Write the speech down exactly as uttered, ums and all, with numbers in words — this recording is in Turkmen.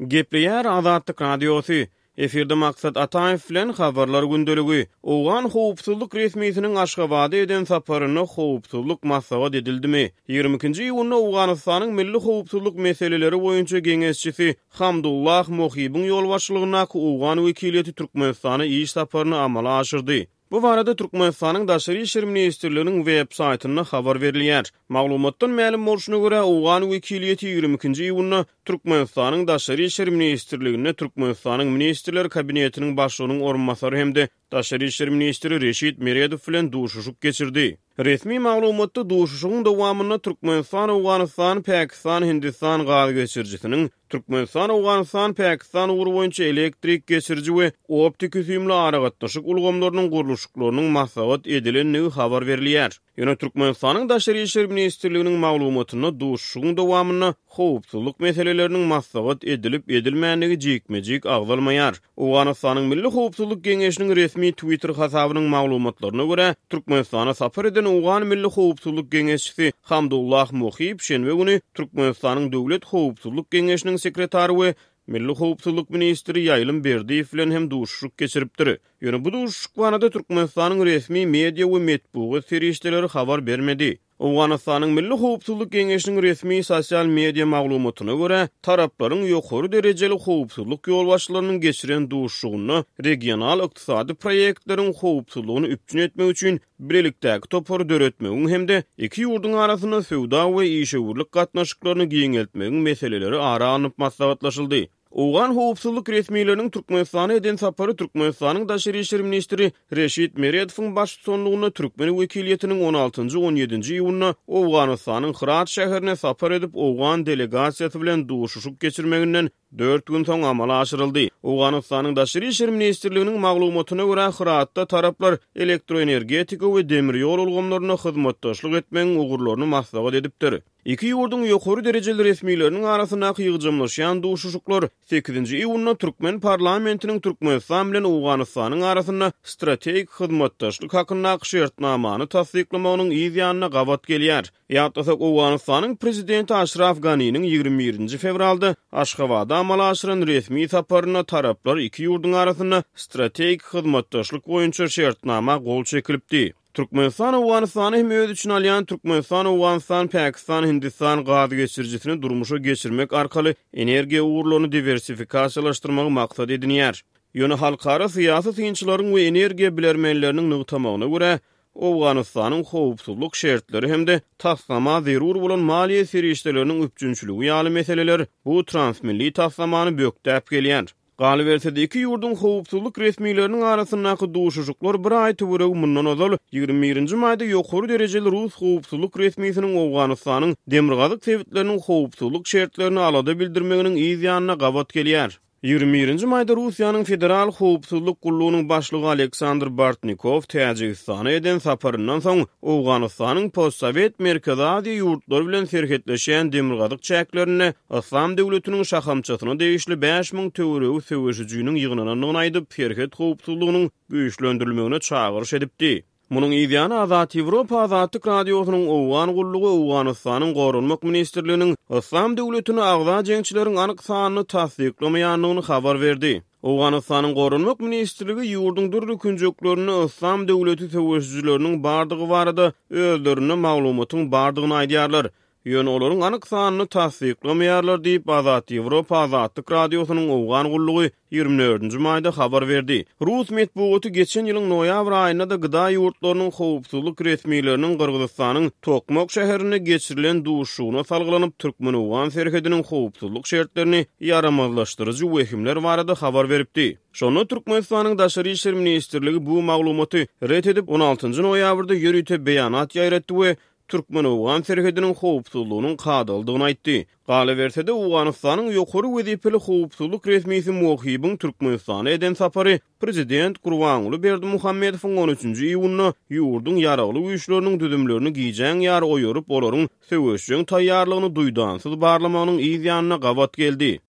Gepleýär Azatlyk Radiosy. Efirde Maksat Ataýew bilen Habarlar gündeligi. Owgan howpsuzlyk resmisiniň Aşgabada eden saparynda howpsuzlyk maslahat edildimi? Ýigrimi ikinji iýunda Owganystanyň milli howpsuzlyk meseleleri boýunça geňeşçisi Hamdullah Mohibiň ýolbaşçylygyndaky owgan wekiliýeti Türkmenistana iş saparyny amala aşyrdy. Bu barada Türkmenistanyň Daşary işler ministrliginiň web saýtynda habar berilýär. Maglumatdan mälim bolşuna görä, owgan wekiliýeti ýigrimi ikinji iýunda Türkmenistanyň Daşary işler ministrliginde Türkmenistanyň Ministrler Kabinetiniň Başlygynyň orunbasary hem-de Daşary işler ministri Reşit Meredow bilen duşuşyk geçirdi. Resmi maglumatda duşuşygyň dowamynda Türkmenistan-Owganystan-Pakistan-Hindistan gaz geçirijisiniň, Türkmenistan-Owganystan-Pakistan ugry boýunça elektrik geçiriji we optiki-süýümli aragatnaşyk ulgamlarynyň gurluşyklarynyň maslahat edilendigi habar berilýär. Ýöne Türkmenistanyň Daşary işler ministrliginiň maglumatynda duşuşygyň dowamynda howpsuzlyk meseleleriniň maslahat edilip-edilmändigi jikme-jik agzalmaýar. Owganystanyň Milli howpsuzlyk geňeşiniň resmi Twitter hasabynyň maglumatlaryna görä, Türkmenistana sapar eden Owgan Milli howpsuzlyk geňeşçisi Hamdullah Mohib şenbe güni Türkmenistanyň Döwlet howpsuzlyk geňeşiniň sekretary we Milli howpsuzlyk ministri Ýaýlym Berdiýew bilen hem duşuşyk geçiripdir. Ýöne bu duşuşyk barada Türkmenistanyň resmi media we metbugat serişdeleri habar bermedi. Owganystanyň Milli howpsuzlyk geňeşiniň resmi sosial media maglumatyna görä, taraplaryň ýokary derejeli howpsuzlyk ýolbaşçylarynyň geçiren duşuşygynda regional ykdysady proýektleriň howpsuzlygyny üpjün etmek üçin bilelikdäki topary döretmegiň hem-de iki ýurduň arasynda söwda we işewürlik gatnaşyklaryny giňeltmegiň meseleleri ara alnyp maslahatlaşyldy. Owgan howpsuzlyk resmileriniň Türkmenistana eden sapary Türkmenistanyň Daşary işler ministri Reşit Meredowyň baştutanlygynda türkmen wekiliýetiniň on altynjy, on ýedinji iýunda Owganystanyň Hyrat şäherine sapar edip, owgan delegasiýasy bilen duşuşyk geçirmeginden dört gün soň amala aşyryldy. Owganystanyň Daşary işler ministrliginiň maglumatyna görä, Hyratda taraplar elektroenergetika we demir ýol ulgamlarynda hyzmatdaşlyk etmegiň ugurlaryny maslahat edipdir. Iki ýurduň ýokary derejeli resmileriniň arasyndaky ýygjamlaşýan duşuşyklar sekizinji iýunda türkmen parlamentiniň Türkmenistan bilen Owganystanyň arasynda strategik hyzmatdaşlyk hakyndaky şertnamany tassyklamagynyň yz ýanyna gabat gelýär. Ýatlasak, Owganystanyň prezidenti Aşraf Ganiniň ýigrimi birinji fewralda Aşgabada amala aşyran resmi saparynda taraplar iki ýurduň arasynda strategik hyzmatdaşlyk boýunça şertnama gol çekilipdi. Türkmenistan Owganystany hem öz içine alýan Türkmenistan-Owganystan-Pakistan-Hindistan gaz geçirijisini durmuşa geçirmek arkaly energiýa ugurlaryny diwersifikasiýalaşdyrmagy maksat edinýär. Ýöne halkara syýasy synçylaryň we energiýa bilermenleriniň nygtamagyna görä, Owganystanyň howpsuzlyk şertleri hem-de taslama zerur bolan maliýe serişdeleriniň üpjünçiligi ýaly meseleler bu transmilli taslamany bökdäp gelýär. Galyberse-de, iki ýurduň howpsuzlyk resmileriniň arasyndaky duşuşyklar bir aý töweregi mundan ozal, ýigrimi birinji maýda ýokary derejeli rus howpsuzlyk resmisiniň Owganystanyň demirgazyk sebitleriniň howpsuzlyk şertlerine alada bildirmeginiň yz ýanyna gabat gelýär. Ýigrimi birinji maýda Russiýanyň Federal howpsuzlyk gullugynyň başlygy Aleksandr Bortnikow Täjigistana eden saparyndan soň Owganystanyň postsowet Merkezi Aziýa ýurtlary bilen serhetleşýän demirgazyk çäklerinde Yslam döwletiniň şahamçasyna degişli bäş müň töweregi söweşijiniň ýygnanandygyny aýdyp, serhet howpsuzlygynyň güýçlendirilmegine çagyryş edipdi. Munuň yzýany Azat Ýewropa Azatlyk Radiosynyň Owgan gullugy Owganystanyň Goranmak ministrliginiň Yslam döwletine agza jeňçileriň anyk sanyny tassyklamaýandygyny habar berdi. Owganystanyň Goranmak ministrligi ýurduň dürli künjeklerinde Yslam döwleti söweşijileriniň bardygy barada özlerinde maglumatyň bardygyny aýdýarlar. Ýöne olaryň anyk sanyny tassyklamaýarlar diýip, Azat Ýewropa Azatlyk Radiosynyň Owgan gullugy ýigrimi dördünji maýda habar berdi. Rus metbugaty geçen ýylyň noýabr aýynda-da G D A ýurtlarynyň howpsuzlyk resmileriniň Gyrgyzystanyň Tokmok şäherinde geçirilen duşuşygyna salgylanyp, türkmen-owgan serhediniň howpsuzlyk şertlerini ýaramazlaşdyryjy wehimler barada habar beripdi. Şonda Türkmenistanyň Daşary işler ministrligi bu maglumaty ret edip, on altynjy noýabrda ýörite beýanat ýaýratdy we türkmen-owgan serhediniň howpsuzlygynyň kadalydygyny aýtdy. Galyberse-de, Owganystanyň ýokary wezipeli howpsuzlyk resmisi Mohibiň Türkmenistana eden sapary prezident Gurbanguly Berdimuhamedowyň on üçünji iýunda ýurduň ýaragly güýçleriniň düzümlerini gijäň ýary oýaryp, olaryň söweşjeň taýýarlygyny duýdansyz barlamagynyň yz ýanyna gabat geldi.